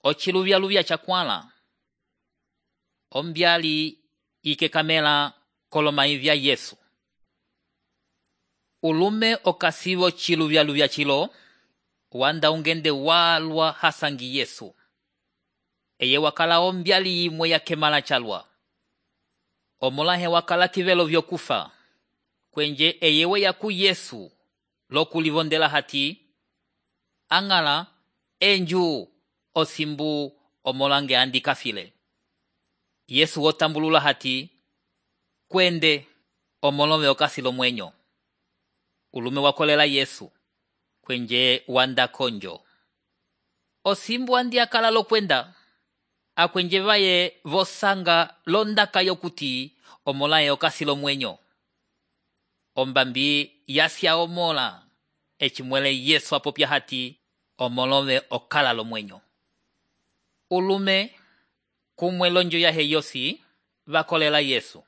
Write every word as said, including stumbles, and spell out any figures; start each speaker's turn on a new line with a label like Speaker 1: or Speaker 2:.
Speaker 1: Ochiluvya-luvya chakwala. Ombyali ikekamela kolomayi vya Yesu. Ulume okasivo chiluvya-luvya chilo, wanda ungende walwa hasangi Yesu. Eye wakala ombyali imwe ya kemala chalwa. Omolahe wakala kivelo vyokufa. Kwenje eyewe yaku Yesu lokulivondela hati. Angala enju osimbu omolange andi kafile. Yesu otambulula hati. Kwende omolove okasilo mwenyo. Ulume wakolela Yesu. Kwenje wanda konjo. Osimbu andi akala lo kwenda. Akwenje vaye vosanga londaka yokuti omolaye okasilo mwenyo. Ombambi yasya omola. Echimwele Yesu apopya hati omolove okala lo mwenyo. Ulume kumwe lonjo ya heyosi vakolela Yesu.